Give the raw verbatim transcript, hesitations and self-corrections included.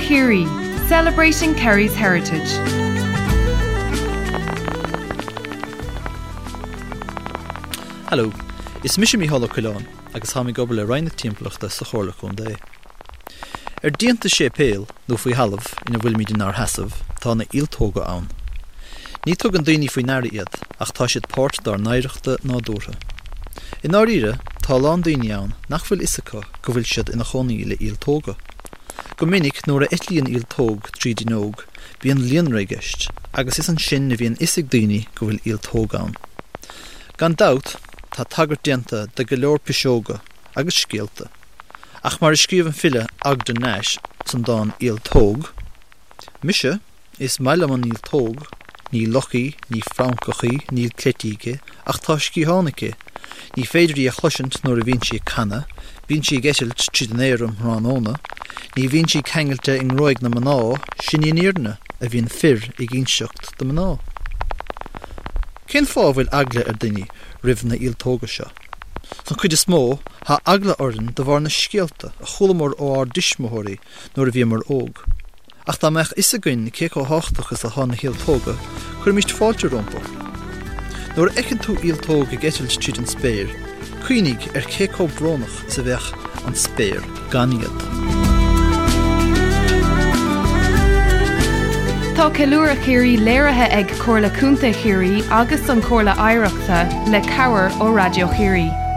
Chiarraí, celebrating Kerry's heritage. Hello, is mise Mícheál Ó Coileáin agus táim ag obair le Roinn na Timpeallachta sa Chomhairle Contae. Ar díonta séipéil nó faoi thalamh ina bhfuilimid inár seasamh tá na ialtóga ann. Ní tugann daoine faoi ndeara iad ach tá siad páirt dár n-oidhreachta nádúrtha. I ndáiríre tá a lán daoine ann nach bhfuil fhios acu go bhfuil siad ina chónaí le ialtóga. Go minic nuair a eitlíonn ialtóg tríd fhuinneog, bíonn líonra i gceist, agus is ansin a bhíonn fhios ag daoine go bhfuil ialtóg ann. Gan dabht, tá tagairt déanta do go leor piseoga agus scéalta. Ach mar a scríobh an file Ogden Nash san dán Ialtóg, Mise, is maith liom an ialtóg, ní luch í, ní francach í, níl cleití aici, ach tá sciatháin aici. Ní féidir í a chloisint nuair a bhíonn sí ag canadh, bíonn sí ag eitilt tríd an aer um thráthnóna, ní bhíonn sí ceangailte i ngruaig na mná, sin í an fhírinne, a bhíonn fir ag inseacht do mná. Cén fáth a bhfuil eagla ar daoine roimh na ialtóga seo? San chuid is mó, tá eagla orainn de bharr na scéalta a chualamar ó ár dtuismitheoirí nuair a bhíomar óg. Ach dá mbeadh fhios againn cé chomh tábhachtach is atá na hialtóga, cuirimid fáilte rompu. Nuair a fheiceann tú ialtóg ag eitilt tríd an spéir, cuimhnigh ar cé chomh brónach is a bheadh an spéir gan iad. Tá Ceiliúradh Chiarraí léirithe ag Comhairle Contae Chiarraí agus an Chomhairle Oidhreachta le cabhair ó Raidió Chiarraí.